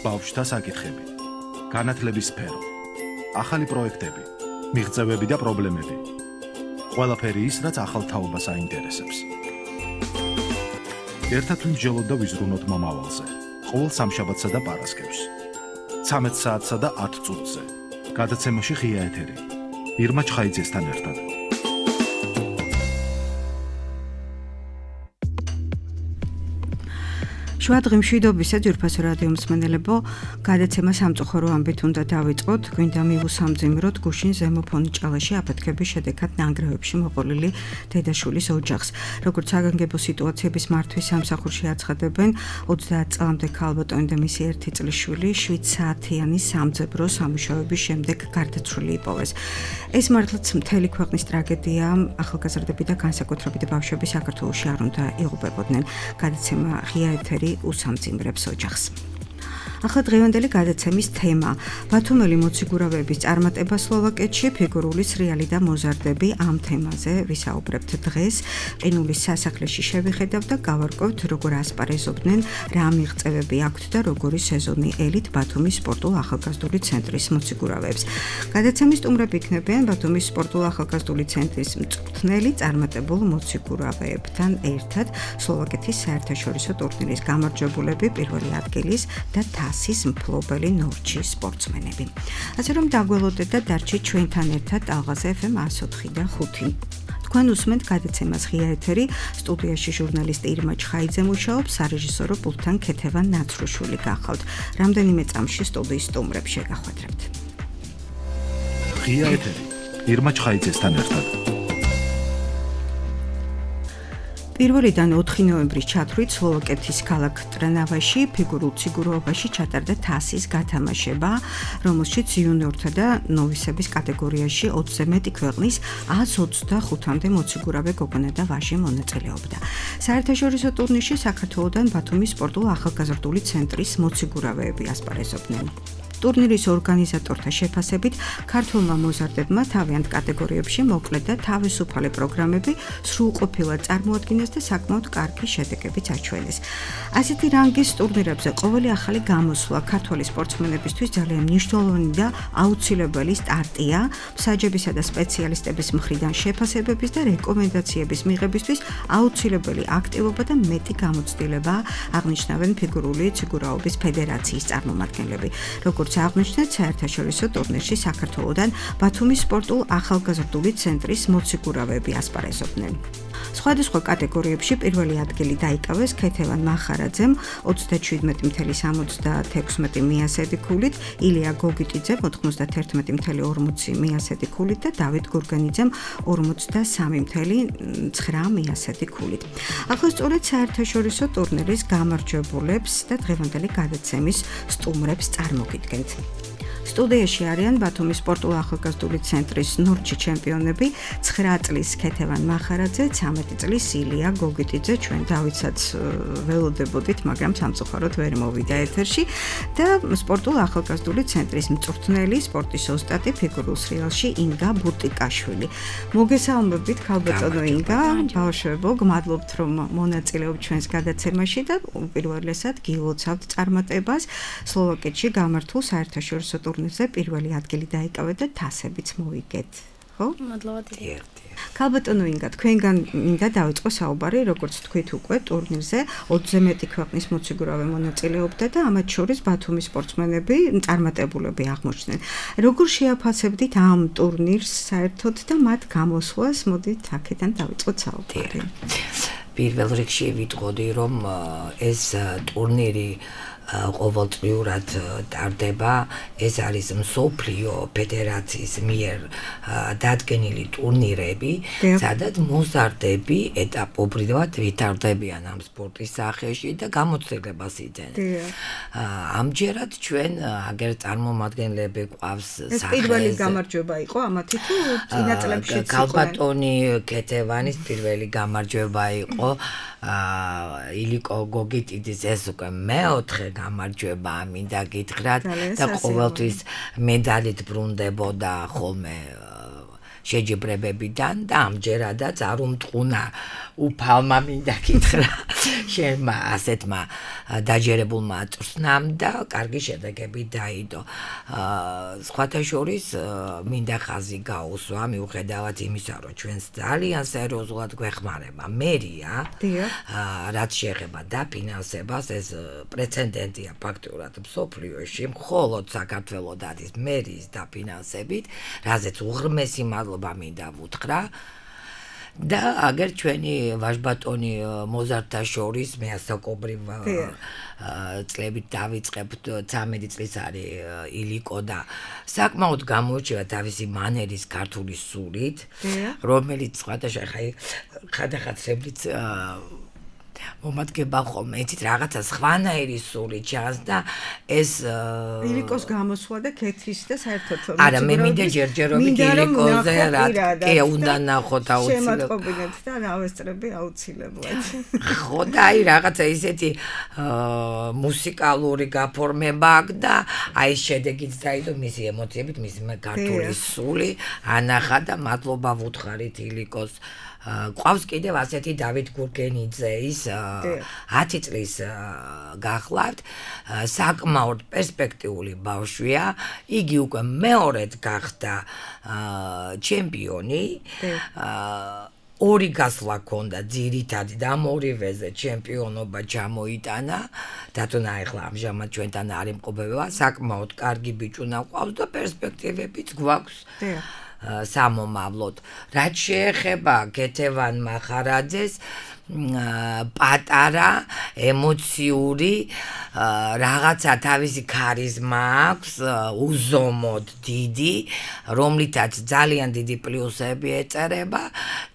ბავშვთა საკითხები, განათლების სფერო, ახალი პროექტები, მიღწევები და პრობლემები. ყველაფერი ის, რაც ახალ თაობას აინტერესებს. ერთად ვიმსჯელოთ და ვიზრუნოთ მომავალზე. ყოველ სამშაბათსა და პარასკევს. 13 საათსა და 10 წუთზე. გადაცემაში ღია ეთერი. ირმა ჩხაიძესთან ერთად. შვადღი მშვიდობისა ძვირფასო რადიო მსმენელებო, გადაცემა სამწუხარო ამბით უნდა დავიწყოთ. გვინდა მივუსამძიმროთ გუშინ ზემო ფონიჭალაში აფეთქების შედეგად ნანგრევებში მოყოლილი დედაშვილის ოჯახს. როგორც საგანგებო სიტუაციების მართვის სამსახურში აცხადებენ, 30 წლამდე ქალბატონი და მისი 1 წლის შვილი 7 საათიანი სამძებრო სამუშაოების შემდეგ გარდაცვლილი იპოვეს. ეს მართლაც მთელი ქვეყნის ტრაგედია. ახალგაზრდები და განსაკუთრებით ბავშვები საქართველოში არ უნდა იღუპებოდნენ. გადაცემა ღია ეთერი უსამძიმრებს ოჯახს. ახლა დღევანდელი გადაცემის თემა ბათუმელი მოციგურავეების წარმატება სლოვაკეთში, ფიგურული სრიალი და მოზარდები. ამ თემაზე ვისაუბრებთ დღეს. ყინულის სასახლეში შევიხედავთ და გავარკვევთ, როგორ ასპარეზობდნენ, რა მიღწევები აქვთ და როგორი სეზონი ელით ბათუმის სპორტულ-ახალგაზრდული ცენტრის მოციგურავეებს. გადაცემის სტუმრები იქნებიან ბათუმის სპორტულ-ახალგაზრდული ცენტრის მწვრთნელი წარმატებულ მოციგურავეებთან ერთად სლოვაკეთის საერთაშორისო ტურნირის გამარჯვებულები, პირველი ადგილის და თასის მფლობელი ნორჩის სპორტსმენები. ასე რომ დაგველოდეთ და დარჩით ჩვენთან ერთად ალღაზ FM 104 და 5. თქვენ უსმენთ გადაცემას ღია ეთერი, სტუდიაში ჟურნალისტი ირმა ჩხაიძე მუშაობს, სარეჟისორო პულტთან ქეთევან ნაცრუშვილი გახავთ. რამდენიმე წამში სტუდიის სტუმრებს შეგახვედრებთ. ღია ეთერი ირმა ჩხაიძესთან ერთად. 1-დან 4 ნოემბრის ჩათვლით სლოვაკეთის ქალაქ ტრნავაში ფიგურულ ციგუროვობაში ჩატარდა თასის გათამაშება, რომელშიც იუნიორთა და ნოვისების კატეგორიაში 20-ზე მეტი ქვეყნის 125-მდე მოციგურავე გოგონა და ვაჟი მონაწილეობდა. საერთაშორისო ტურნირში საქართველოდან ბათუმის სპორტულ-ახალგაზრდული ცენტრის მოციგურავეები ასპარეზობდნენ. ტურნირის ორგანიზატორთა შეფასებით, ქართველმა მოზარდებმა თავიანთ კატეგორიებში მოკლე და თავისუფალი პროგრამები სრულყოფილად წარმოადგინეს და საკმაოდ კარგი შედეგებიც აჩვენეს. ასეთი რანგის ტურნირებზე ყოველი ახალი გამოსვლა ქართველი სპორტსმენებისთვის ძალიან მნიშვნელოვანი და აუცილებელი სტარტია. მსაჯებისა და სპეციალისტების მხრიდან შეფასებების და რეკომენდაციების მიღებისთვის აუცილებელი აქტივობა და მეტი გამოცდილება, აღნიშნავენ ფიგურული ციგურაობის ფედერაციის წარმომადგენლები. როგორც აღნიშნეთ, საერთაშორისო ტურნირში საქართველოდან ბათუმის სპორტულ-ახალგაზრდული ცენტრის მოციგურავეები ასპარეზობდნენ. სხვადასხვა კატეგორიებში პირველი ადგილი დაიკავეს ქეთევან მახარაძემ 37.76 მიასედი ქულით, ილია გოგიტიძე 91.40 მიასედი ქულით და დავით გურგენიძემ 43.9 მიასედი ქულით. ახლა სწორედ საერთაშორისო ტურნირის გამარჯვებულებს და დღევანდელი გადაცემის სტუმრებს წარმოგიდგენთ. სტუდიაში არიან ბათუმის სპორტულ-ახალგაზრდული ცენტრის ნორჩი ჩემპიონები, 9 წლის ქეთევან მახარაძე, 13 წლის ილია გოგიტიძე. ჩვენ დავითსაც ველოდებოდით, მაგრამ სამწუხაროდ ვერ მოვიდა ეთერში და სპორტულ-ახალგაზრდული ცენტრის მწვრთნელი, სპორტის ოსტატი ფიგურულ სრიალში ინგა ბურტიკაშვილი. მოგესალმებით, ქალბატონო ინგა, ბავშვებო, გმადლობთ, რომ მონაწილეობთ ჩვენს გადაცემაში და უპირველესად გილოცავთ წარმატებას სლოვაკეთში გამართულ საერთაშორისო ტურნირზე პირველი ადგილი დაიკავეთ და თასებიც მოვიგეთ. ხო? მადლობა დიდი. ქალბატონო ინგა, თქვენგან მინდა დავიწყო საუბარი, როგორც თქვით უკვე ტურნირზე 20-ზე მეტი ქვეყნის მოციგურავე მონაწილეობდა და ამათ შორის ბათუმის სპორტსმენები წარმატებულები აღმოჩნდნენ. როგორ შეაფასებდით ამ ტურნირს საერთოდ და მათ გამოსვლას? მოდით აქედან დავიწყოთ საუბარი. პირველ რიგში ვიტყოდი, რომ ეს ტურნირი ყოველწლიურად ტარდება. ეს არის მსოფლიო ფედერაციის მიერ დადგენილი ტურნირები, სადაც მოზარდები ეტაპობრივად ვითარდებიან ამ სპორტის სახეში და გამოცდილებას იძენენ. ამჯერად ჩვენ აგერ წარმომადგენლები ყავს ეს პირველი გამარჯვება იყო ამათი თუ წინა წლებშიც იყო? ქალბატონი ქეთევანის პირველი გამარჯვება იყო. ილიკო გოგიტიძის ეს უკვე მეოთხე გამარჯვება მინდა გითხრათ და ყოველთვის მედალით ბრუნდებოდა ხოლმე შეჯიბრებებიდან და ამჯერადაც არ უმტყუნა უფალმა მინდა გითხრა შენმა ასეთმა დაჯერებულმა წვრთნამ და კარგი შედეგები დაიდო. სხვათა შორის მინდა ხაზი გაუსვა მიუხედავად იმისა, რომ ჩვენს ძალიან სერიოზულად გვეხმარება მერია, რაც შეეხება დაფინანსებას, ეს პრეცედენტია ფაქტურად მსოფლიოში, მხოლოდ საქართველოს არის მერიის დაფინანსებით, რაზეც უღრმესი მადლობა მინდა ვუთხრა. და აგერ ჩვენი ვაჟბატონი მოზარდთა შორის მე ასაკობრივ წლებით დავიწყებთ 13 წლის არის ილიკო და საკმაოდ გამოირჩევა თავისი მანერის ქართული სულით, რომელიც სხვადასხვა ხადახაცრებიც მომადგება ხოლმე, იცით რაღაცა სხვანაირი სული ჩანს და ეს ილიკოს გამოსვლა და ქეთის და საერთოდ არა მე მინდა ჯერჯერობით ილიკოზე რა კი უნდა ნახოთ აუცილებლად შემატყობინეთ და დავესწრები აუცილებლად ხო და აი რაღაცა ისეთი მუსიკალური გაფორმება აქვს და აი შედეგიც დაიდო მისი ემოციებით მისი ქართული სული ანახა და მადლობა ვუთხარით ილიკოს ყავს კიდევ ასეთი დავით გურგენიძეის 10 წლის გახლავთ საკმაოდ პერსპექტიული ბავშვია იგი უკვე მეორედ გახდა ჩემპიონი ორი გასვლა ჰქონდა ძირითადი და ორივეზე ჩემპიონობა ჩამოიტანა დათუნა ახლა ამჟამად ჩვენთან არ იმყოფება საკმაოდ კარგი ბიჭუნა ყავს და პერსპექტივებიც გვაქვს სამომავლოდ რაც შეეხება გეთევან მახარაძეს პატარა ემოციური რაღაცა თავისი ქარიზმა აქვს უზომოდ დიდი რომლითაც ძალიან დიდი პლუსები ეწერება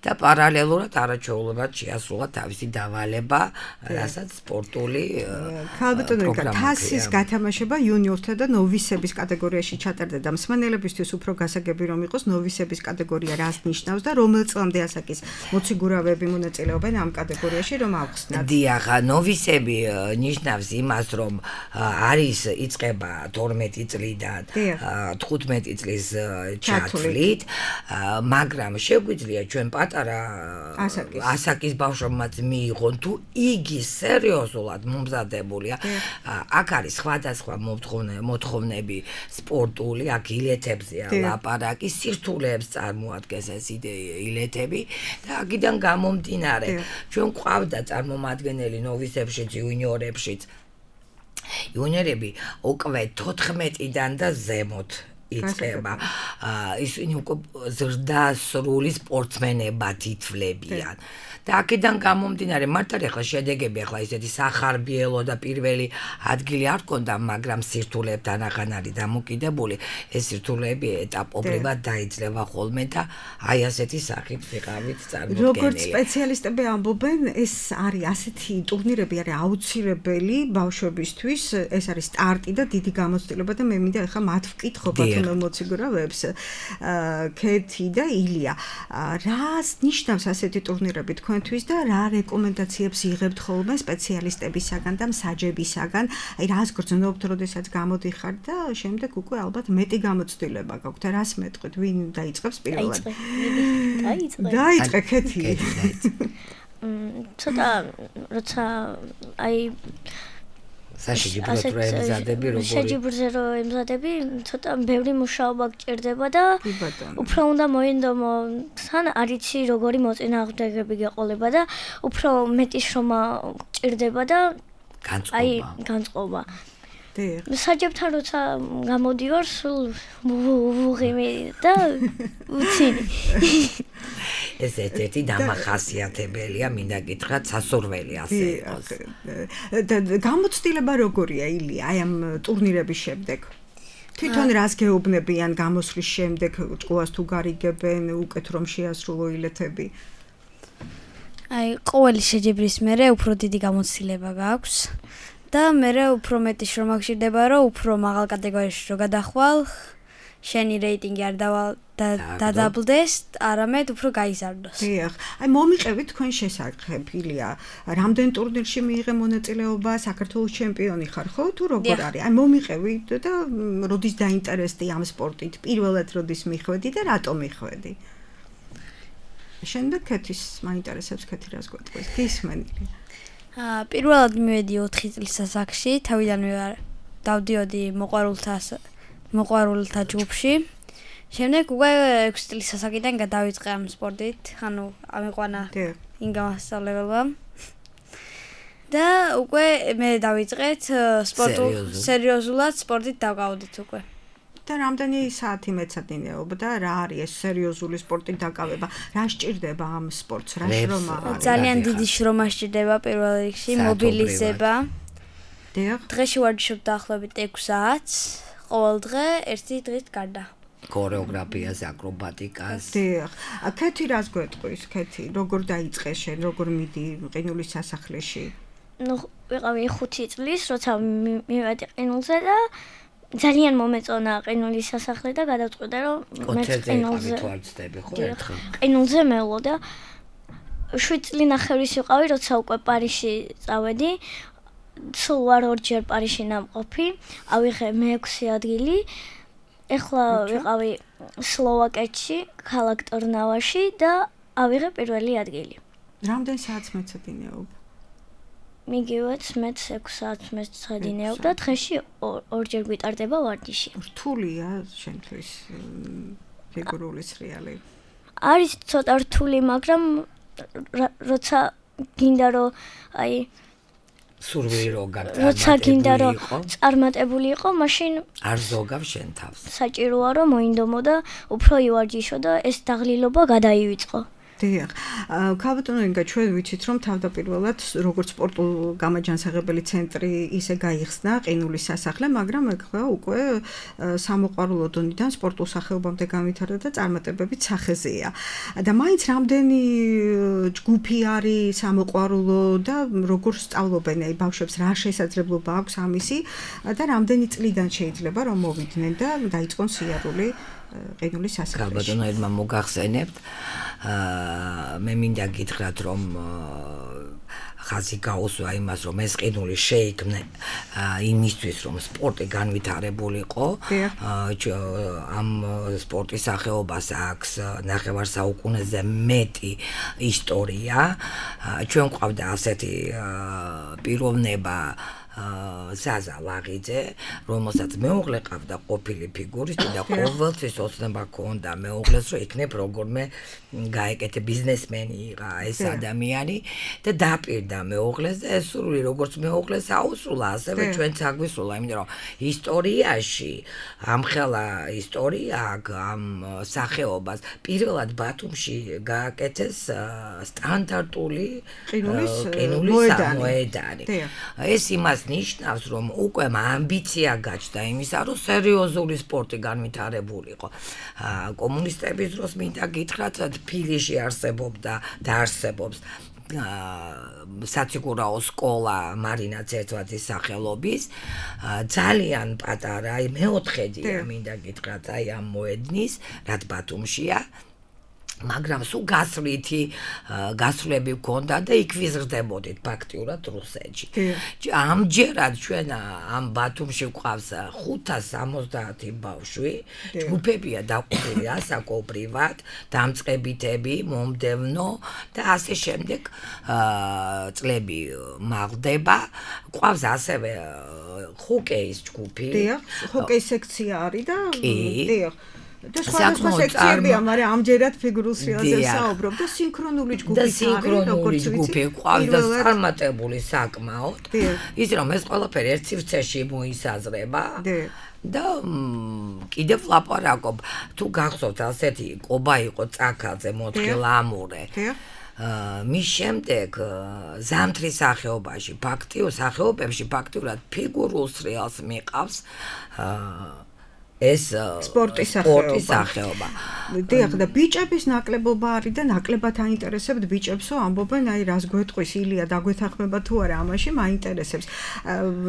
და პარალელურად არაჩვეულებად შეასრულა თავისი დავალება რასაც სპორტული ქალბატონო თასის გათამაშება იუნიორთა და ნოვისების კატეგორიაში ჩატარდა და მსმენელებისთვის უფრო გასაგები რომ იყოს ნოვისების კატეგორია რას ნიშნავს და რომელ წლამდე ასაკის მოციგურავები მონაწილეობენ ამ კატეგორიაში რომ ავხსნათ. დიახ, ნოვისები ნიშნავს იმას, რომ არის იწყება 12 წლიდან 15 წლის ჩათვლით, მაგრამ შეგვიძლია ჩვენ პატარა ასაკის ბავშვებმაც მიიღონ თუ იგი სერიოზულად მომზადებულია. აქ არის სხვადასხვა მოთხოვნები სპორტული, აქ ილეთებზეა ლაპარაკი, სირთულეებს წარმოადგენს ეს ილეთები და აქედან გამომდინარე ჩვენ ყავდა წარმომადგენელი ნოვისებშიც, იუნიორებშიც. იუნიორები უკვე 14-დან და ზემოთ იწყება. ისინი უკვე ზრდასრული სპორტსმენებად ითვლებიან. და აქედან გამომდინარე მართალია ახლა შედეგები ახლა ისეთი სახარბიელო და პირველი ადგილი არ ჰქონდა, მაგრამ სირთულეებთან აღარ არის დამოკიდებული. ეს სირთულეები ეტაპობრივად დაიძლევა ხოლმე და აი ასეთი სახით ვიყავით წარმოდგენილი. როგორც სპეციალისტები ამბობენ, ეს არის ასეთი ტურნირები არის აუცილებელი ბავშვებისთვის, ეს არის სტარტი და დიდი გამოცდილება და მე მინდა ახლა მათ ვკითხო ბატონო მოციგურავებს, ქეთი და ილია. რას ნიშნავს ასეთი ტურნირები თქვენთვის და რა რეკომენდაციებს იღებთ ხოლმე სპეციალისტებისაგან და მსაჯებისაგან? აი რას გრძნობთ, როდესაც გამოდიხართ და შემდეგ უკვე ალბათ მეტი გამოცდილება გაქვთ. რას მეტყვით? ვინ დაიწყებს პირველად? დაიწყე ქეთი. ცოტა როცა აი საშიჯიბროდ რო ემზადები როგორი? შეჯიბრზე რო ემზადები, ცოტა ბევრი მუშაობა გჭირდება და უფრო უნდა მოინდომო თან არიცი როგორი მოწინააღმდეგეები გეყოლება და უფრო მეტი შრომა გჭირდება და აი განწყობა. საჯებთან როცა გამოდივარ, სულ ვუღიმი და უცინი. ეს ერთ-ერთი დამახასიათებელია, მინდა გითხრათ, სასურველი ასე იყოს. გამოცდილება როგორია ილია აი ამ ტურნირების შემდეგ? თვითონ რას გეუბნებიან გამოსვლის შემდეგ, ჭკუას თუ გარიგებენ, უკეთ რომ შეასრულო ილეთები? აი ყოველი შეჯიბრის მერე უფრო დიდი გამოცდილება გაქვს. და მერე უფრო მეტი შრომა გჭირდება, რომ უფრო მაღალ კატეგორიაში რო გადახვალ, შენი რეიტინგი არ დადაბლდეს, არამედ უფრო გაიზარდოს. დიახ. აი მომიყევით თქვენ შესახებ, ილია, რამდენ ტურნირში მიიღე მონაწილეობა, საქართველოს ჩემპიონი ხარ, ხო? თუ როგორ არის? აი მომიყევით და როდის დაინტერესდი ამ სპორტით? პირველად როდის მიხვედი და რატომ მიხვედი? შემდეგ ქეთის მაინტერესებს ქეთი რას გვეტყვის? გისმენილი. პირველად მივედი 4 წლის ასაკში, თავიდანვე დავდიოდი მოყვარულთა ჯგუფში. შემდეგ უკვე 6 წლის ასაკიდან გადავიწყე ამ სპორტით, ანუ ამიყვანა იმ გამასწავლებელმა. და უკვე მე დავიწყეთ სერიოზულად სპორტით დავგავდით უკვე. და რამდენი საათი მეცადინეობ და რა არის ეს სერიოზული სპორტით დაკავება? რა სჭირდება ამ სპორტს? რა შრომა არის? ძალიან დიდი შრომა სჭირდება პირველ რიგში, მობილიზება. დღეში ვარჯიშობ დაახლოებით 6 საათს, ყოველ დღე ერთი დღით გარდა. ქორეოგრაფიას, აკრობატიკას. დიახ. ქეთი რას გვეტყვის? ქეთი როგორ დაიწყე შენ, როგორ მიდი ყინულის სასახლეში? ვიყავი 5 წლის, როცა მივედი ყინულზე და ძალიან მომეწონა ყინულის სასახლე და გადავწყვიტე რომ მე ყინულზე მევლო და 7 წლინახევრის ვიყავი, როცა უკვე პარიზში წავედი. სულ ვარ ორჯერ პარიზში ნამყოფი, ავიღე მე-6 ადგილი. ეხლა ვიყავი სლოვაკეთში, ქალაქ ტრნავაში და ავიღე პირველი ადგილი. რამდენ საათს მეცადინეობ? მიგივეც მეც 6 საათს მეცადინეობ და დღეში ორჯერ გვიტარდება ვარჯიში. რთულია შენთვის ფიგურული სრიალი? არის ცოტა რთული, მაგრამ როცა გინდა რომ აი სურვილი რო როცა გინდა რომ წარმატებული იყო, მაშინ არ ზოგავ შენ თავს. საჭიროა რომ მოინდომო და უფრო ივარჯიშო და ეს დაღლილობა გადაივიწყო. დიახ. ქალბატონო ინგა, ჩვენ ვიცით რომ თავდაპირველად როგორც სპორტულ გამაჯანსაღებელი ცენტრი ისე გაიხსნა ყინულის სასახლე, მაგრამ ეხლა უკვე სამოყვარულო დონიდან სპორტულ სახეობამდე განვითარდა და წარმატებებით სახეზეა. და მაინც რამდენი ჯგუფი არის სამოყვარულო და როგორ სწავლობენ აი ბავშვებს, რა შესაძლებლობა აქვს ამისი და რამდენი წლიდან შეიძლება რომ მოვიდნენ და დაიწყონ სიარული ყინულის სასახლეში? ქალბატონო, ერთმა მოგახსენებთ, მე მინდა გითხრათ რომ ხაზი გაუსვა იმას რომ ეს ყინული შეიქმნა იმისთვის რომ სპორტი განვითარებულიყო. ამ სპორტის სახეობას აქვს ნახევარსაუკუნეზე მეტი ისტორია. ჩვენ გვყავდა ასეთი პიროვნება ზაზა ლაღიძე, რომელსაც მეუღლე ყავდა ყოფილი ფიგურისტი და ყოველთვის ოცნება ჰქონდა მეუღლეს, რომ იქნებ როგორმე გაეკეთე ბიზნესმენი იყო ეს ადამიანი და დაპირდა მეუღლეს და ეს სურვილი როგორც მეუღლეს აუსრულა, ასევე ჩვენც აგვისრულა, იმიტომ რომ ისტორიაში ამხელა ისტორია ამ სახეობას პირველად ბათუმში გააკეთეს სტანდარტული ყინულის მოედანი. ეს იმას ნიშნავს, რომ უკვე ამბიცია გაჩნდა იმისა, რომ სერიოზული სპორტი განვითარებულიყო. კომუნისტების დროს მინდა გითხრათ, თბილისში არსებობდა და არსებობს საციგურაო სკოლა მარინა ცერცვაძის სახელობის, ძალიან პატარა, აი მეოთხედია მინდა გითხრათ, აი ამ მოედნის, რაც ბათუმშია. მაგრამ სულ გასვლები გქონდა და იქ ვიზრდებოდით ფაქტიურად რუსეთში. ამჯერად ჩვენ ამ ბათუმში გვყავს 570 ბავშვი, ჯგუფებია დაყოფილი ასაკობრივად, დამწყებითები, მომდევნო და ასე შემდეგ წლები მაღლდება. გვყავს ასევე ჰოკეის ჯგუფი. დიახ, ჰოკეის სექცია არის და დიახ. და სხვა სექციებია, მაგრამ ამჯერად ფიგურულ სრიალზე საუბრობ და სინქრონული ჯგუფი არის, როგორც ჯგუფი ყავს და წარმატებული საკმაოდ. ის რომ ეს ყველაფერი ერთ სივრცეში მოისაზრება. და კიდევ ლაპარაკობ, თუ გახსოვთ ასეთი ყობა იყო წაქაძე მოთხილამურე. მის შემდეგ ზამთრის სახეობაში, სახეობებში ფაქტიურად ფიგურულ სრიალს მიყავს ეს სპორტის სახეობა. დიახ, და ბიჭების ნაკლებობა არის და ნაკლებად აინტერესებთ ბიჭებსო, ამბობენ, აი რას გვეტყვის ილია, დაგვეთანხმება თუ არა ამაში, მაინტერესებს.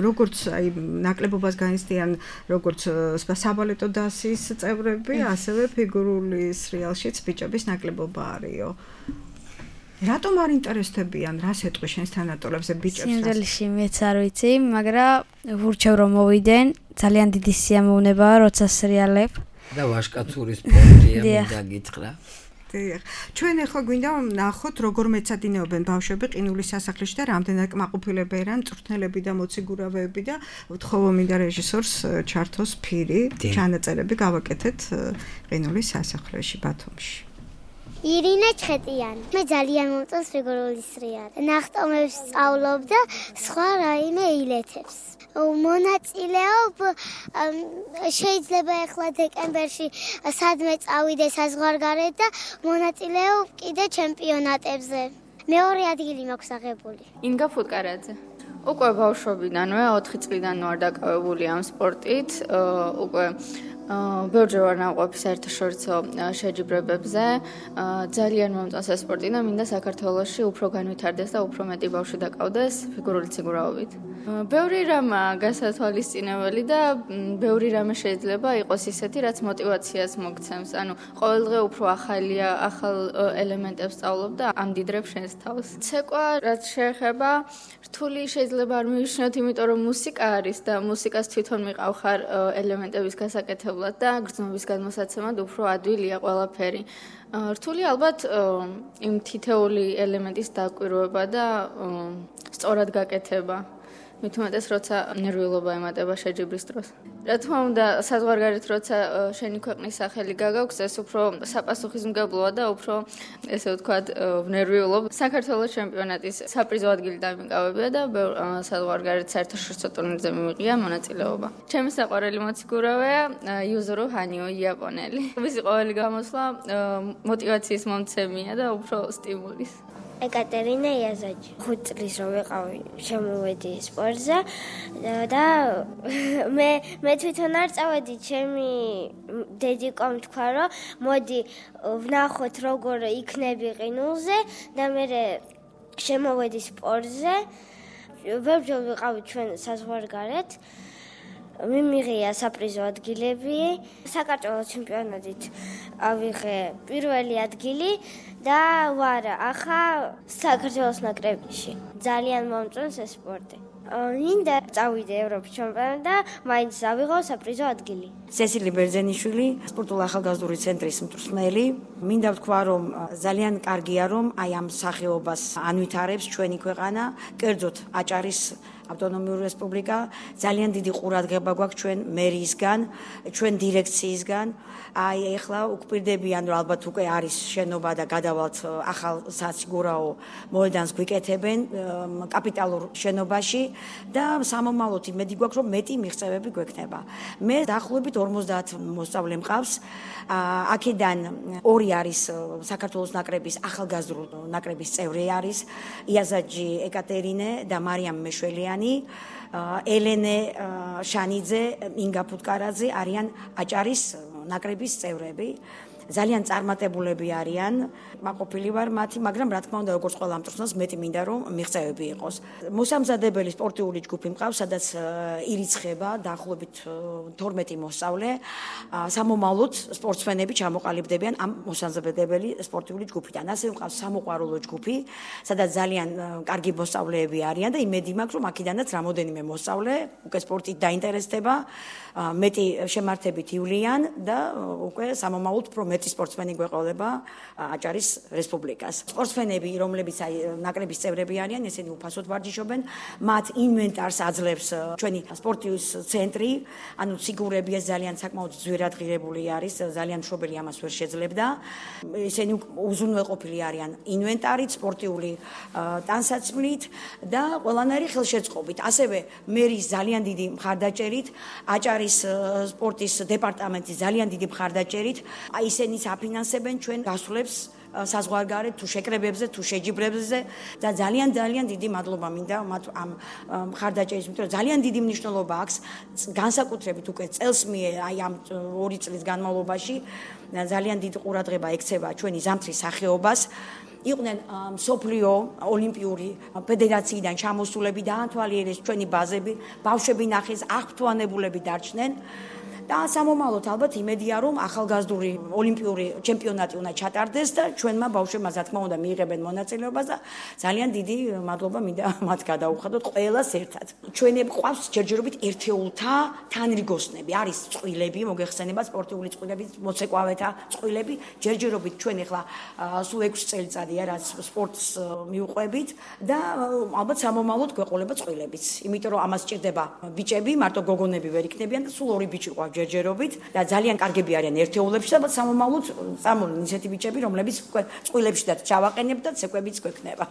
როგორც აი ნაკლებობას განიცდიან როგორც საბალეტო დასის წევრები, ასევე ფიგურული სრიალშიც ბიჭების ნაკლებობა არისო. რატომ არ ინტერესდებიან, რას ეტყვი შენს თანატოლებზე ბიჭებს? სიმძელში მეც არ ვიცი, მაგრამ ვურჩევ რომ მოვიდენ, ძალიან დიდი სიამოვნებაა, როცა სრიალებ. და ვაშკაცური სპორტია მინდა გითხრა. დიახ. ჩვენ ახლა გვინდა ნახოთ როგორ მეცადინეობენ ბავშვები ყინულის სასახლეში და რამდენად კმაყოფილები არიან მწვრთნელები და მოციგურავეები და ვთხოვო მინდა რეჟისორს ჩართოს ფირი, ჩანაწერები გავაკეთეთ ყინულის სასახლეში ბათუმში. ირინა ჩხეტიანი. მე ძალიან მომწონს რიგორული სრია. ნახტომებს სწავლობ და სხვა რაიმე ილეთებს. მონაწილეობ შეიძლება ახლა დეკემბერში სადმე წავიდე საზღვარგარეთ და მონაწილეობ კიდე ჩემპიონატებზე. მეორე ადგილი მაქვს აღებული. ინგა ფუტკარაძე. უკვე ბავშვობიდანვე 4 წლიდან ვარ დაკავებული ამ სპორტით. უკვე ბევრჯერ ვარ ნაყოფი საერთაშორისო შეჯიბრებებზე. ძალიან მომწონს ეს სპორტი და მინდა საქართველოში უფრო განვითარდეს და უფრო მეტი ბავშვი დაკავდეს ფიგურული ციგურავობით. ბევრი რამაა გასათვალისწინებელი და ბევრი რამე შეიძლება იყოს ისეთი, რაც мотиваციას მოგცემს. ანუ ყოველდღე უფრო ახალ ელემენტებს სწავლობ და ამდიდრებ შენს თავს. ცეკვა რაც შეეხება რთული შეიძლება არ მივიშნოთ, იმიტომ რომ მუსიკა არის და მუსიკას თვითონ მიყავ ხარ ელემენტების გასაკეთებლად და გრძნობის გადმოსაცემად უფრო ადვილია ყველაფერი. რთული ალბათ იმ თითეული ელემენტის დაკვირვება და სწორად გაკეთება. მით უმეტეს როცა ნერვიულობა ემატება შეჯიბრის დროს. რა თქმა უნდა, საზღვარგარეთ როცა შენი ქვეყნის სახელი გაგაქვს, ეს უფრო საპასუხისმგებლოა და უფრო ესე ვთქვათ, ნერვიულობ. საქართველოს ჩემპიონატის საპრიზო ადგილი დამიკავებია და საზღვარგარეთ საერთაშორისო ტურნირზე მიმიღია მონაწილეობა. ჩემი საყვარელი მოციქურავეა იუზურუ ჰანიო, იაპონელი. მისი ყოველი გამოსვლა мотиваციის მომცემია და უფრო სტიმულის. ეკატერინა იაზაჯი. 5 წლის რომ ვიყავი, შემოვედი სპორტზე და მე თვითონ არ წავედი, ჩემი დედიკომ თქვა, რომ მოდი ვნახოთ როგორ იქნები ყინულზე და მე შემოვედი სპორტზე. ბევრჯერ ვიყავი ჩვენ საზღვარგარეთ. მიმიღია საპრიზო ადგილები, საქართველოს ჩემპიონატით ავიღე პირველი ადგილი და ვარ ახლა საქართველოს ნაკრებში. ძალიან მომწონს ეს სპორტი. მინდა წავიდე ევროპის ჩემპიონატში და მაინც ავიღო საპრიზო ადგილი. სესილი ბერძენიშვილი, სპორტული ახალგაზრდული ცენტრის მწვრთნელი. მინდა ვთქვა, რომ ძალიან კარგია, რომ აი ამ სახეობას ანვითარებს ჩვენი ქვეყანა, კერძოდ აჭარის ავტონომიური რესპუბლიკა. ძალიან დიდი ყურადღება გვაქვს ჩვენ მერიისგან, ჩვენ დირექციისგან. აი ეხლა უკპირდებიან, რომ ალბათ უკვე არის შენობა და გადავალთ ახალ საციგურაო მოედანს გვიკეთებენ კაპიტალურ შენობაში და სამომავლოდ იმედი გვაქვს, რომ მეტი მიღწევები გვექნება. მე დაახლოებით 50 მოსწავლე მყავს. აქედან 2 არის საქართველოს ნაკრების ახალგაზრდულ ნაკრების წევრი არის იაზაჯი ეკატერინე და მარიამ მეშველიანი. ელენე შანიძე, ინგა ფუტკარაძე არიან აჭარის ნაკრების წევრები. ძალიან წარმატებულები არიან, მაყოფილი ვარ მათი, მაგრამ რა თქმა უნდა, როგორც ყველა მწვრთნელს, მეტი მინდა რომ მიღწევები იყოს. მოსამზადებელი სპორტიული ჯგუფი მყავს, სადაც ირიცხება დაახლოებით 12 მოსწავლე. სამომავლოდ სპორტსმენები ჩამოყალიბდებიან ამ მოსამზადებელი სპორტიული ჯგუფიდან. ასევე მყავს სამოყვარულო ჯგუფი, სადაც ძალიან კარგი მოსწავლეები არიან და იმედი მაქვს, რომ აქედანაც რამოდენიმე მოსწავლე უკვე სპორტით დაინტერესდება, მეტი შემართებით ივლიან და უკვე სამომავლოდ უფრო მეტი სპორტსმენი გვეყოლება აჭარის რესპუბლიკას. სპორტსმენები, რომლებიც აი ნაკრების წევრები არიან, ესენი უფასოდ ვარჯიშობენ, მათ ინვენტარს აძლევს ჩვენი სპორტის ცენტრი, ანუ ციგურები ეს ძალიან საკმაოდ ძვირად ღირებული არის, ძალიან მშობელი ამას ვერ შეძლებდა. ესენი უზრუნველყოფილი არიან ინვენტარით, სპორტიული ტანსაცმლით და ყველანაირი ხელშეწყობით. ასევე მერის ძალიან დიდი მხარდაჭერით, აჭარის სპორტის დეპარტამენტის ძალიან დიდი მხარდაჭერით, აი ისინი საფინანსებენ ჩვენ გასვლებს საზღვარგარეთ თუ შეკრებებზე თუ შეჯიბრებზე და ძალიან დიდი მადლობა მინდა მათ ამ მხარდაჭერის, იმიტომ რომ ძალიან დიდი მნიშვნელობა აქვს განსაკუთრებით უკვე წელს აი ამ 2 წლის განმავლობაში ძალიან დიდი ყურადღება ექცევა ჩვენი ზამთრის სახეობას. იყვნენ მსოფლიო ოლიმპიური ფედერაციიდან ჩამოსულები, დაანთვალიერეს ჩვენი ბაზები, ბავშვები ნახეს, აღფრთოვანებულები დარჩნენ. და სამომავლოდ ალბათ იმედია რომ ახალგაზრდული ოლიმპიური ჩემპიონატი უნდა ჩატარდეს და ჩვენმა ბავშვებმა რა თქმა უნდა მიიღებენ მონაწილეობას და ძალიან დიდი მადლობა მინდა მათ გადაუხადოთ ყველას ერთად. ჩვენი ყავს ჯერჯერობით ერთეულთა თანრიგოსნები, არის წყვილები, მოგეხსენება სპორტიული წყვილები, მოცეკვავეთა წყვილები, ჯერჯერობით ჩვენ ახლა სულ 6 წელიწადია რაც სპორტს მიუყვებით და ალბათ სამომავლოდ გვეყოლება წყვილებიც. იმიტომ რომ ამას ჭირდება ბიჭები, მარტო გოგონები ვერ იქნებიან და სულ 2 ბიჭი ყავს ჯერჯერობით და ძალიან კარგები არიან ერთეულებში და სამომავლოდ წამოვლენ ისეთი ბიჭები, რომლებიც წყვილებშიც ჩავაყენებთ და ცეკვებიც გვექნება.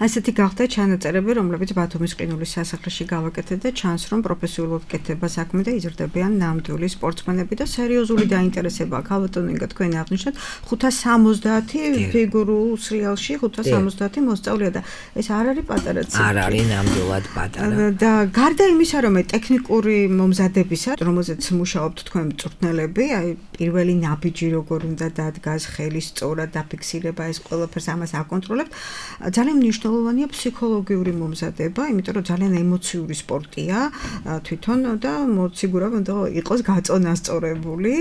ასეთი გახდა ჩანაწერები, რომლებიც ბათუმის ყინულის სასახლეში გავაკეთეთ და ჩანს, რომ პროფესიულად კეთდება საქმე და იზრდებიან ნამდვილი სპორტსმენები და სერიოზული დაინტერესება აქვს. ალბათ ნინგა თქვენ აღნიშნეთ 570 ფიგურულ სრიალში 570 მოსწავლეა და ეს არ არის პატარა ციფრი. არ არის ნამდვილად პატარა. და გარდა იმისა, რომ ტექნიკური მომზადებისა, რომელზეც მუშაობთ თქვენ მწვრთნელები, აი პირველი ნაბიჯი როგორ უნდა დადგას, ხელის სწორად დაფიქსირება, ეს ყველაფერს ამას აკონტროლებთ. ძალიან მნიშვნელოვანია ფსიქოლოგიური მომზადება, იმიტომ რომ ძალიან ემოციური სპორტია თვითონ და მოციგურავ უნდა იყოს გაწონასწორებული.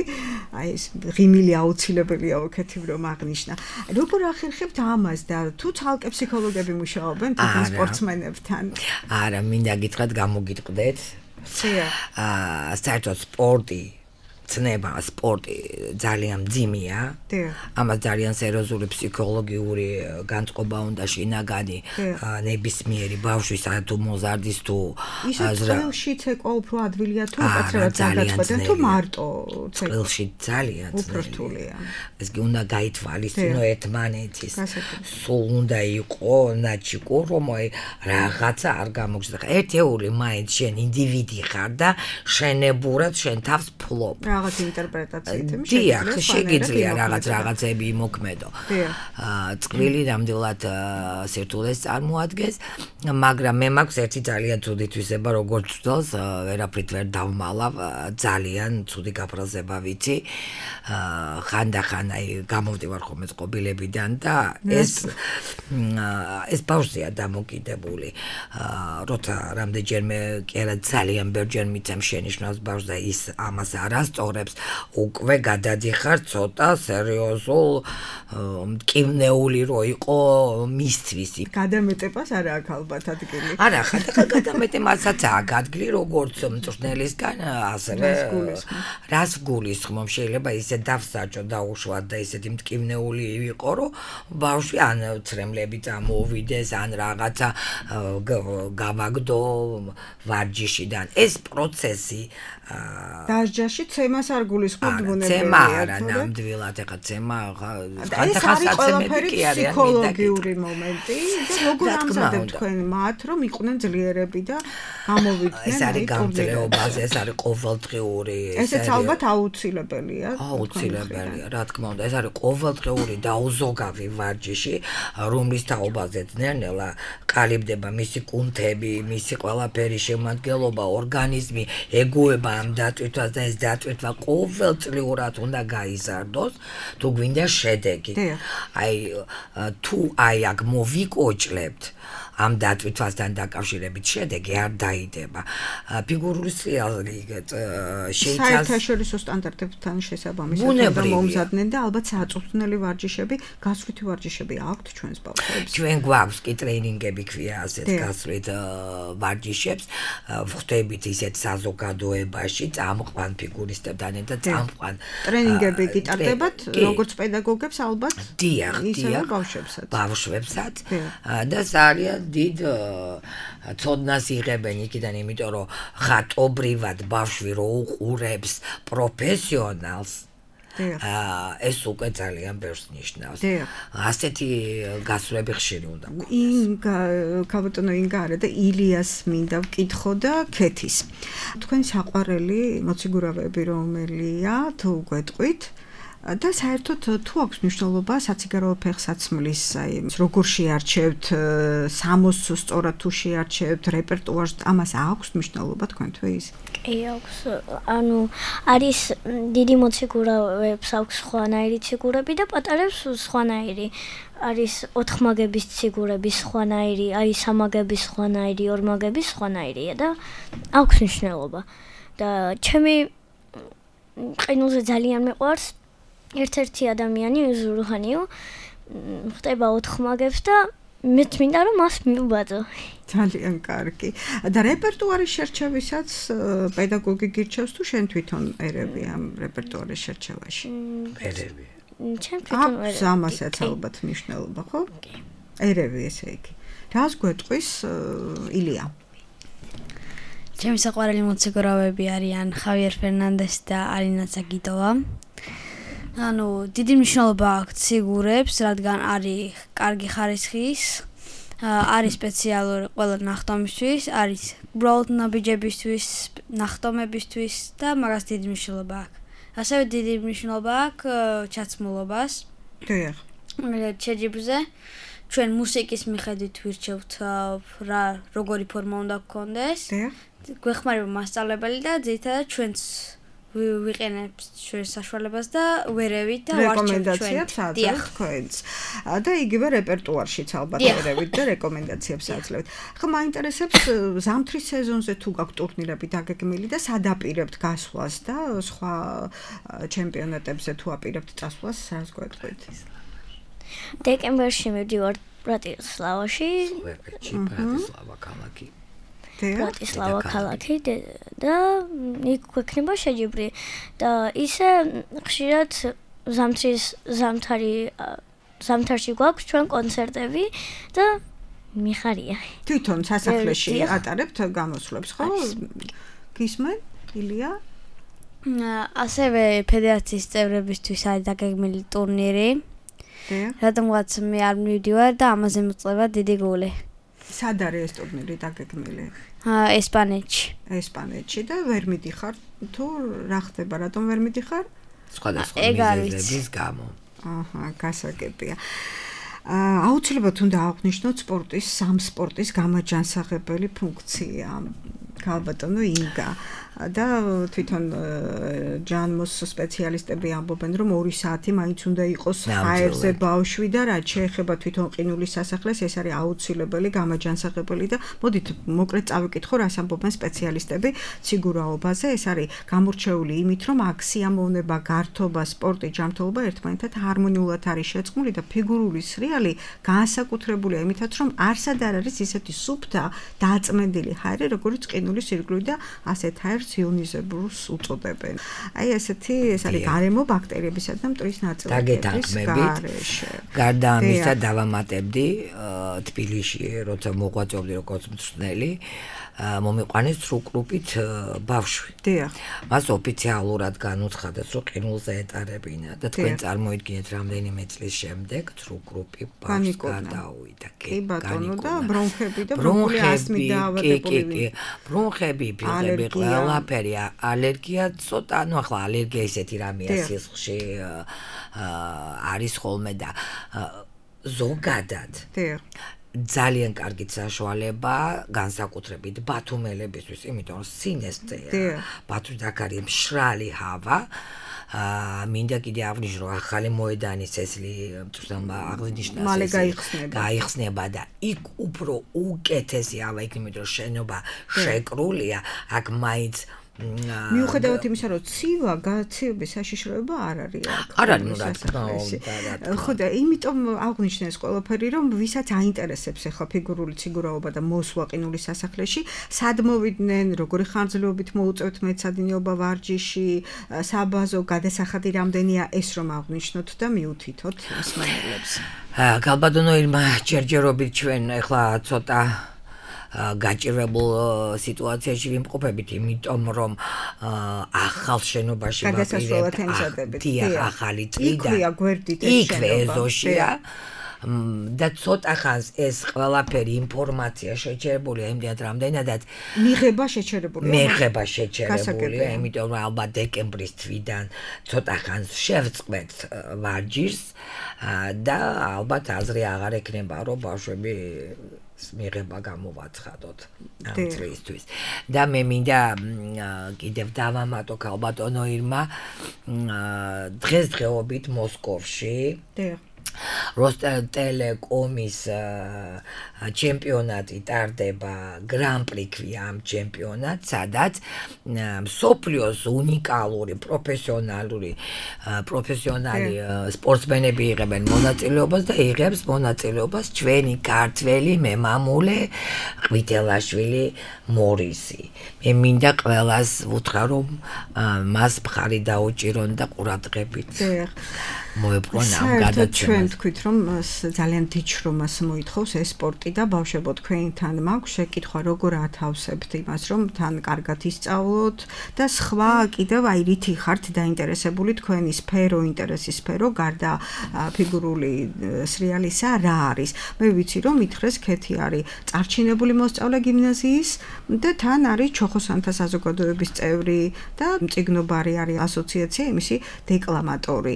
აი ეს ღიმილი აუცილებელია ვქეთებ რომ აღნიშნა. როგორ ახერხებთ ამას და თუ ცალკე ფსიქოლოგები მუშაობენ თვითონ სპორტსმენებთან? არა, მინდა გითხრათ, გამოგიტყდეთ. საერთოდ სპორტი ცნება სპორტი ძალიან მძიმეა. ამას ძალიან სერიოზული ფსიქოლოგიური განწყობა უნდა შინაგანი ნებისმიერი ბავშვის თუ მოზარდის თუ წელში ცეკვა უფრო ადვილია თუ უკაცრავად დაგაწყვეტენ თუ მარტო წელში ძალიან უფრთხულია. ეს კი უნდა გაითვალისწინო ერთმანეთის. სულ უნდა იყო ნაჩიკო რომ რაღაცა არ გამოგზრდა. ერთეული მაინც შენ ინდივიდი ხარ და შენებურად შენ თავს ფლობ. რაღაც ინტერპრეტაციით შეგიძლია რაღაცები იმოქმედო. წყვილი ნამდვილად სირთულეს წარმოადგენს, მაგრამ მე მაქვს ერთი ძალიან ცუდი თვისება, როგორც ვთვალს, ვერაფრით ვერ დავმალავ, ძალიან ცუდი გაფრაზება ვიცი. ხანდახან აი გამოვდივარ ხოლმე წყობილებიდან და ეს ბავშვია დამოკიდებული. როცა რამდენჯერმე კი არა ძალიან ბევრჯერ მიცემ შენიშვნას ბავშვს და ის ამას არასწორებს, უკვე გადადიხარ ცოტა სერიოზულ მტკივნეული რო იყო მისთვის. გადამეტებას არ აქვს ალბათ ადგილი. არა, გადამეტებასაც აქვს ადგილი როგორც მწვრთნელისგან, ასევე რას გულისხმობ, შეიძლება ისე დავსაჯო დაუშვათ და ისეთი მტკივნეული ვიყო, რომ ბავშვი ან ცრემლები წამოვიდეს, ან რაღაცა გავაგდო ვარჯიშიდან. ეს პროცესი დასჯაში ცემას არ გულისხმობთ ბუნებრივია. ცემა არა, ნამდვილად ეხა ცემა ხანდახანსაცემები კი არიან ფსიქოლოგიური მომენტი და როგორ ამზადებთ თქვენ მათ, რომ იყვნენ ძლიერები და გამოვიდნენ. ეს არის გამძლეობაზე, ეს არის ყოველდღიური. ესეც ალბათ აუცილებელია. აუცილებელია, რა თქმა უნდა, ეს არის ყოველდღიური და უზოგავი ვარჯიში, რომლის თაობაზეც ნელ-ნელა ყალიბდება მისი კუნთები, მისი ყველაფერი შემადგენლობა, ორგანიზმი ეგუება ამ დატვირთვას და ეს დატვირთვა ყოველწლიურად უნდა გაიზარდოს, თუ გვინდა შედეგი. აი თუ აქ მოვიკოჭლებთ ამ დატვირთვასთან დაკავშირებით შედეგი არ დაიდება. ფიგურული სრიალი შეიცავს საერთაშორისო სტანდარტებთან შესაბამისად და მომზადდნენ და ალბათ საწვრთნელი ვარჯიშები, გასვლითი ვარჯიშები აქვთ ჩვენს ბავშვებს. ჩვენ გვაქვს კი ტრეინინგები ქვია ასეთ გასვლით ვარჯიშებს, ვხვდებით ისეთ საზოგადოებაში წამყვან ფიგურისტებთან და წამყვან ტრეინინგები გიტარდებათ როგორც პედაგოგებს ალბათ? დიახ, ბავშვებსაც და ძალიან დიდ ცოდნას იღებენ იქიდან, იმიტომ რომ ხატობრივად ბავშვი რო უყურებს პროფესიონალს, ეს უკვე ძალიან ბევრს ნიშნავს. ასეთი გასვლები ხშირი უნდა გქონდეს. ქალბატონო ინგარა და ილიას მინდა ვკითხო და ქეთის. თქვენი საყვარელი მოციგურავები რომელია, თუ გვეტყვით? და საერთოდ თუ აქვს მნიშვნელობა საციგარო ფეხსაცმლის, აი როგორ შეარჩევთ, სამოს სწორად თუ შეარჩევთ, რეპერტუარს ამას აქვს მნიშვნელობა თქვენთვის? კი აქვს, ანუ არის დიდი მოციგურავებს აქვს სხვანაირი ციგურები და პატარებს სხვანაირი. არის 4 მაგების ციგურების სხვანაირი, აი 3 მაგების სხვანაირი, 2 მაგების სხვანაირია და აქვს მნიშვნელობა. და ჩემი ყინულზე ძალიან მეყვარს ერთ-ერთი ადამიანი ზურუხანიო ხტება 4 მაგებს და მეც მინდა რომ მას მივბაძო. ძალიან კარგი. და რეპერტუარის შერჩევისაც პედაგოგი გირჩევს თუ შენ თვითონ ერევი ამ რეპერტუარის შერჩევაში? ერევი. ჩემ თვითონ ერევი. ამასაც ალბათ მნიშვნელობა, ხო? ერევი ესე იგი. რას გვეტყვის ილია? ჩემი საყვარელი მოციქურავები არიან ხავიერ ფერნანდესი და არინა ცაგიტოვა. ანუ დიდი მნიშვნელობა აქვს ციგურებს, რადგან არის კარგი ხარისხის, არის სპეციალური ყველა ნახტომისთვის, არის უბრალოდ ნაბიჯებისთვის, ნახტომებისთვის და მაგას დიდი მნიშვნელობა აქვს. ასევე დიდი მნიშვნელობა აქვს ჩაცმულობას. დიახ. შეჯიბრზე ჩვენ მუსიკის მიხედვით ვირჩევთ რა როგორი ფორმა უნდა გქონდეს. დიახ. გვეხმარება მასწავლებელი და ძირითადად ჩვენც ვიყენებთ ჩვენს საშუალებას და ვერევით და რეკომენდაციებს აძლევთ თქვენს. და იგივე რეპერტუარშიც ალბათ ვერევით და რეკომენდაციებს აძლევთ. ხო, მაინტერესებს ზამთრის სეზონზე თუ გაქვთ ტურნირები დაგეგმილი და სადაპირებთ გასვლას და სხვა ჩემპიონატებზე თუ აპირებთ წასვლას, რას გვეტყვით? დეკემბერში მივდივარ ბრატისლავაში. ბრატისლავა ქალაქი. ბრატისლავა ქალაქი და იქ გვექნება შეჯიბრი და ისე ხშირად ზამთარში გვაქვს ჩვენ კონცერტები და მიხარია. თვითონ სასახლეში ატარებთ გამოსვლებს, ხო? გისმენ, ილია? ასევე ფედერაციის წევრებისთვის არის დაგეგმილი ტურნირი. რადგანაც მე არ მივდივარ და ამაზე მოწყება დიდი გული. სად არის ეს ტურნირი დაგეგმილი? ესპანეთში და ვერ მიდიხარ თუ რა ხდება, რატომ ვერ მიდიხარ? სხვადასხვა მიზეზების გამო. გასაგებია. აუცილებლად უნდა აღვნიშნოთ სამ სპორტის გამაჯანსაღებელი ფუნქცია. ქალბატონო ინგა და თვითონ ჯანმოს სპეციალისტები ამბობენ, რომ 2 საათი მაინც უნდა იყოს ჰაერზე ბავშვი და რაც შეეხება თვითონ ყინულის სასახლეს, ეს არის აუცილებელი გამაჯანსაღებელი და მოდით მოკლედ წავიკითხო, რას ამბობენ სპეციალისტები ციგურაობაზე. ეს არის გამორჩეული იმით, რომ აქ სიამოვნება, გართობა, სპორტი, ჯანმრთელობა ერთმანეთთან ჰარმონიულად არის შეწყმული და ფიგურული სრიალი განსაკუთრებულია იმითაც, რომ არსად არ არის ისეთი სუფთა დაწმენდილი ჰაერი, როგორც ყინულის ირგვლივ და ასეთ ჰაერს იონიზებურს უწოდებენ. აი ესეთი ეს არის გარემო ბაქტერიებისა და მტვრის ნაწილაკების გარეშე. გარდა ამისა დავამატებდი თბილისში, როცა მოღვაწეობდი როგორც მწვრთნელი, მომიყვანეს სრუკრუპით ბავშვი. დიახ. მას ოფიციალურად განუცხადეს, რომ ყინულზე ეტარებინა და თქვენ წარმოიდგინეთ რამდენიმე წლის შემდეგ სრუკრუპი ბავშვს გადაუვიდა. კი ბატონო და ბრონხები და ბრონქული ასმით დაავადებული. ბრონხები, ფილტები, ყველაფერი, ალერგია ცოტა, ну ახლა ალერგია ისეთი რამეა სისხლში არის ხოლმე და ზოგადად. დიახ. ძალიან კარგი საშუალება განსაკუთრებით ბათუმელებისთვის, იმიტომ რომ სინესწეა. ბათუმში აქ არის მშრალი ჰავა. მინდა კიდე აღვნიშნო, რომ ახალი მოედანის წესლი აღნიშნავს, მალე გაიხსნება და იქ უფრო უკეთესი ჰავა, იმიტომ რომ შენობა შეკრულია, აქ მაინც მიუხედავად იმისა, რომ ცივა გაცივების საშიშროება არ არის აქ. არ არის, რა თქმა უნდა. ხო და იმიტომ აღვნიშნეს ყველაფერი, რომ ვისაც აინტერესებს ახლა ფიგურული ციგურაობა და მოსვლა ყინულის სასახლეში, სად მოვიდნენ, როგორი ხანძრებით მოუწევთ მეცადინეობა ვარჯიში, საბაზო გადასახადი რამდენია, ეს რომ აღვნიშნოთ და მიუთითოთ მსმენელებს. ქალბატონო ირმა, ჯერჯერობით ჩვენ ახლა ცოტა გაჭირებულ სიტუაციაში ვიმყოფებით, იმიტომ რომ ახალ შენობაში ვაპირებთ ახალი წლიდან იქვე ეზოშია და ცოტა ხანს ეს ყველაფერი ინფორმაცია შეჩერებულია იმდენად რამდენადაც მიღება შეჩერებულია, იმიტომ რომ ალბათ დეკემბრის თვიდან ცოტა ხანს შევწყვეთ ვარჯიშს და ალბათ აზრი აღარ ექნება, რომ ბავშვები მიღება გამოვაცხადოთ ამ წლისთვის. და მე მინდა კიდევ დავამატო ქალბატონო ირმა დღესდღეობით მოსკოვში როსტელტელეკომის ჩემპიონატი ტარდება გრან-პრი ქვია ამ ჩემპიონატს, სადაც მსოფლიოს უნიკალური პროფესიონალი სპორტსმენები იღებენ მონაწილეობას და იღებს მონაწილეობას ჩვენი ქართველი მემამულე ყვითელაშვილი მორისი. მე მინდა ყველას ვუთხრა რომ მას მხარი დაუჭირონ და ყურადღებით მოეპყრონ ამ გადაცემას. ჩვენ თქვით რომ ძალიან დიდ შრომას მოითხოვს ეს სპორტი და ბავშვებო თქვენთან მაქვს შეკითხვა როგორ ათავსებთ იმას რომ თან კარგად ისწავლოთ და სხვა კიდევ აი რითი ხართ დაინტერესებული თქვენი სფერო ინტერესის სფერო გარდა ფიგურული სრიალისა რა არის. მე ვიცი რომ ითხრეს ქეთი არის წარჩინებული მოსწავლე გიმნაზიის და თან არის ჩოხოსანთა საზოგადოების წევრი და მწიგნობარი არის ასოციაცია იმისი დეკლამატორი.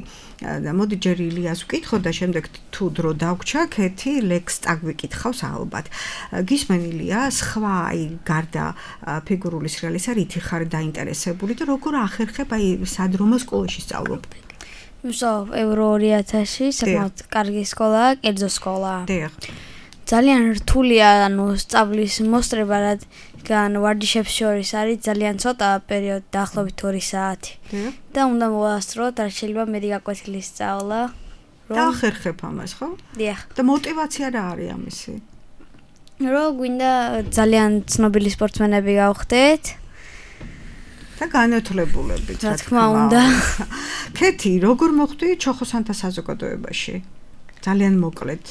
მოდი ჯერ ილიას ვკითხო და შემდეგ თუ დრო დაგვრჩა ქეთი ლექს წაგვიკითხავს ალბათ. გისმენილია სხვა აი გარდა ფიგურული სრიალისა რითი ხარ დაინტერესებული და როგორ ახერხებ აი სადრომო სკოლაში სწავლობ? ვსწავლობ ევრო 2000-ში, საკმაოდ კარგი სკოლაა, კერძო სკოლაა. დიახ. ძალიან რთულია, ანუ სწავლის მოსწრება, რადგან ვარჯიშებს შორის არის ძალიან ცოტა პერიოდი, დაახლოებით 2 საათი. და უნდა მოვასწროთ, არ შეიძლება მეტი გაკვეთილის სწავლა. და ახერხებ ამას, ხო? დიახ. და мотиваცია რა არის ამისი? რომ გვინდა ძალიან ცნობილი სპორტსმენები გავხდეთ. და განათლებულებით, რა თქმა უნდა. ქეთი, როგორ მოხვდი ჩოხოსანთა საზოგადოებაში? ძალიან მოკლედ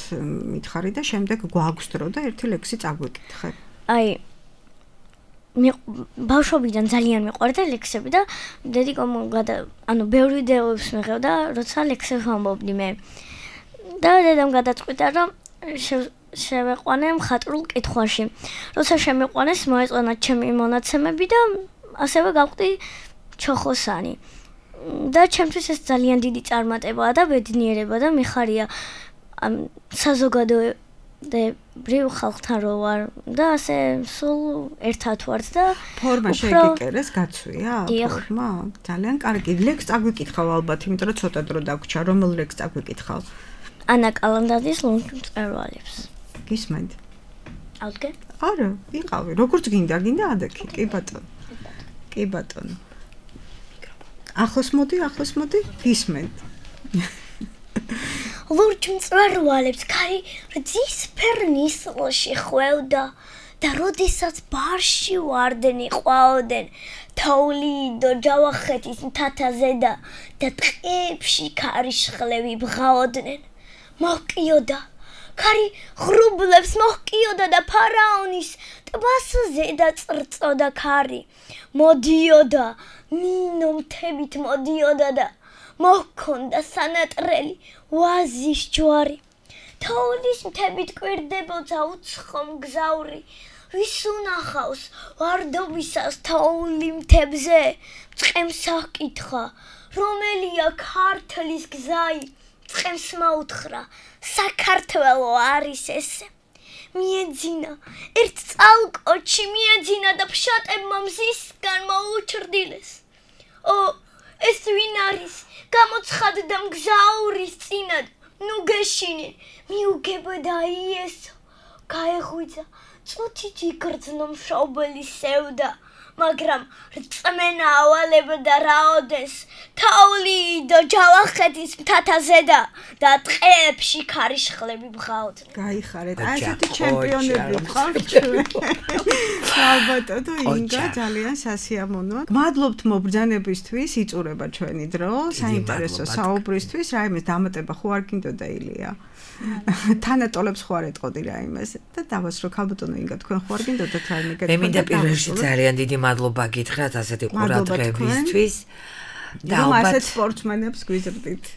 მითხარი და შემდეგ გვაქვს დრო და ერთი ლექსი წაგვიკითხე. აი ბავშვობიდან ძალიან მიყვარდა ლექსები და დედიკომ ანუ ბევრი იდეებს მიღებდა, როცა ლექსებს ვამბობდი მე. და დედამ გადაწყვიტა, რომ შევეყვანე მხატვრულ კითხვაში. როცა შემიყვანეს, მოეწონა ჩემი მონაცემები და ასევე გავხდი ჩოხოსანი. და ჩემთვის ეს ძალიან დიდი წარმატებაა და ბედნიერება და მიხარია საზოგადოებრივ ხალხთან რო ვარ და ასე სულ ერთად ვართ და ფორმა შეგიკერეს გაცვია ფორმა ძალიან კარგი ლექს წაგვიკითხავ ალბათ იმიტომ რომ ცოტა დრო დაგვრჩა რომელ ლექს წაგვიკითხავ ანა კალანდაძის ლომწვერვალებს გისმენთ აუდგე არა ვიყავი როგორც გინდა ადექი კი ბატონო კი ბატონო ახლოს მოდი გისმენთ ლურჯ მწვერვალებს ქარი რძის ფერნისლში ხვევდა და როდესაც ბარში ვარდენ იყვაოდენ თოვლიდო ჯავახეთის მთათაზე და ტყეებში ქარიშხლები ბღაოდნენ მოჰკიოდა ქარი ღრუბლებს მოჰკიოდა და ფარაონის ტბაზე და წრწოდა ქარი მოდიოდა მინო მთებით მოდიოდა და მოჰქონდა სანატრელი ვაზის ჯვარი თოვლის მთებით კვირდებოდა უცხო მგზავრი ვის უნახავს ვარდობისას თოვლი მთებზე წყემს აკითხა რომელია ქართლის გზაი წყემს მოუთხრა საქართველო არის ესე მიეძინა ერთ წალკოჩი მიეძინა და ფშატებმა მზისგან მოუჩრდილეს ეს ვინ არის გამოცხადდა მგზავრის წინად ნუ გეშინე მიუგებოდა იესო გაეღვიძა წუთით იგრძნო მშობელი სევდა მაგრამ რწმენა ავალებდა რაოდეს თოვლი და ჯავახეთის მთათაზე და ტყეებში ქარიშხლები ბღაოდნენ გაიხარეთ ასეთი ჩემპიონები ვყავთ ჩვენ ალბათ თუ ინგა ძალიან სასიამოვნოა გმადლობთ მობრძანებისთვის იწურება ჩვენი დრო საინტერესო საუბრისთვის რაიმე დამატება ხო არ გინდოდა ილია თანატოლებს ხო არ ეტყოდი რაიმეს და დავასრო ქალბატონო ინგა თქვენ ხო არ გინდოდათ რაიმე მე მინდა პირველში ძალიან დიდი მადლობა გითხრათ ასეთი ყურადღებისთვის და ასეთ სპორტსმენებს გვიზრდით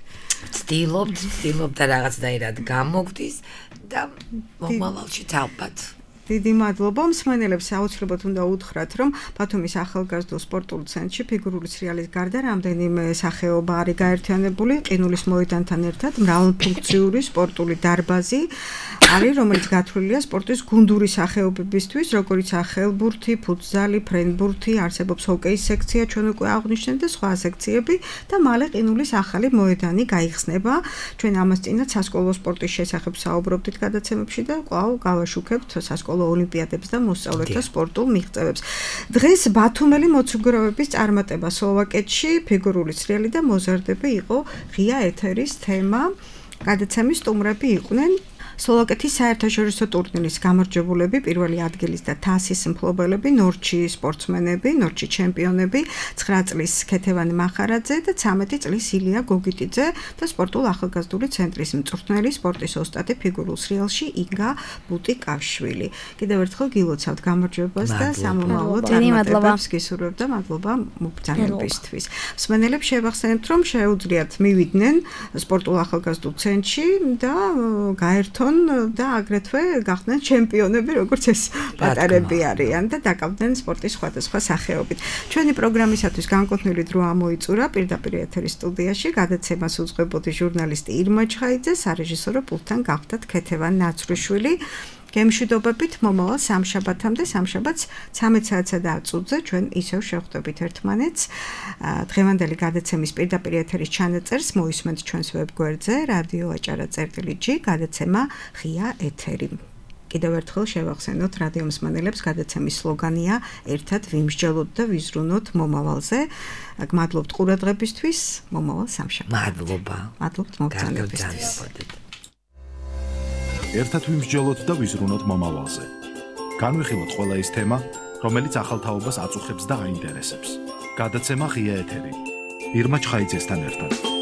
ვცდილობთ და რაღაცნაირად გამოგდის და მომავალში ალბათ დიდი მადლობა. მსმენელებს აუცილებლად უნდა უთხრათ, რომ ბათუმის ახალგაზრდულ სპორტულ ცენტრში ფიგურული სრიალის გარდა რამდენიმე სახეობა არის გაერთიანებული. ყინულის მოედანთან ერთად მრავალფუნქციური სპორტული დარბაზი არის, რომელიც გათვლილია სპორტის გუნდური სახეობებისთვის, როგორიცაა ხელბურთი, ფუტზალი, ფრენბურთი, არსებობს ჰოკეის სექცია, ჩვენ უკვე აღვნიშნეთ და სხვა სექციები და მალე ყინულის ახალი მოედანი გაიხსნება. ჩვენ ამას წინათ სასკოლო სპორტის შესახებ საუბრობდით გადაცემებში და კვლავ გავაშუქებთ სასკოლო ოლიმპიადებს და მოსწავლეთა სპორტულ მიღწევებს. დღეს ბათუმელი მოცუგროვების წარმატება სლოვაკეთში, ფიგურული სრიალი და მოზარდები იყო ღია ეთერის თემა. გადაცემის სტუმრები იყვნენ სლოვაკეთის საერთაშორისო ტურნირის გამარჯვებულები, პირველი ადგილის და თასის მფლობელები, ნორჩი სპორტსმენები, ნორჩი ჩემპიონები, 9 წლის ქეთევან მახარაძე და 13 წლის ილია გოგიტიძე და სპორტულ ახალგაზრდული ცენტრის მწვრთნელი, სპორტის ოსტატი ფიგურულ სრიალში ინგა ბუტიკაშვილი. კიდევ ერთხელ გილოცავთ გამარჯვებას და სამომავლო წარმატებებს გისურვებთ და მადლობა მობრძანებისთვის. მსმენელებს შევახსენებთ, რომ შეუძლიათ მივიდნენ სპორტულ ახალგაზრდულ ცენტრში და გაერთონ და აგრეთვე გახდნენ ჩემპიონები, როგორც ეს პატარები არიან და დაკავდნენ სპორტის სხვადასხვა სახეობით. ჩვენი პროგრამისათვის განკუთვნილი დრო ამოიწურა პირდაპირ ეთერის სტუდიაში. გადაცემას უძღვებოდი ჟურნალისტი ირმა ჩხაიძე, სარეჟისორო პულტთან გახდათ ქეთევან ნაცრიშვილი. გემშვიდობებით მომავალ სამშაბათამდე, სამშაბათს 13 საათსა და 10 წუთზე ჩვენ ისევ შევხვდებით ერთმანეთს. დღევანდელი გადაცემის პირდაპირ ეთერის ჩანაწერს მოისმენთ ჩვენს ვებგვერდზე radio.acara.gi გადაცემა ღია ეთერი. კიდევ ერთხელ შევახსენოთ რადიო მსმენელებს, გადაცემის სლოგანია ერთად ვიმსჯელოთ და ვიზრუნოთ მომავალზე. გმადლობთ ყურადღებისთვის, მომავალ სამშაბათს. მადლობა. მადლობთ მოგზაურობისთვის. ერთად ვიმსჯელოთ და ვიზრუნოთ მომავალზე. განვიხილოთ ყველა ის თემა, რომელიც ახალთაობას აწუხებს და აინტერესებს. გადაცემა ღია ეთერი. ირმა ჩხაიძესთან ერთად.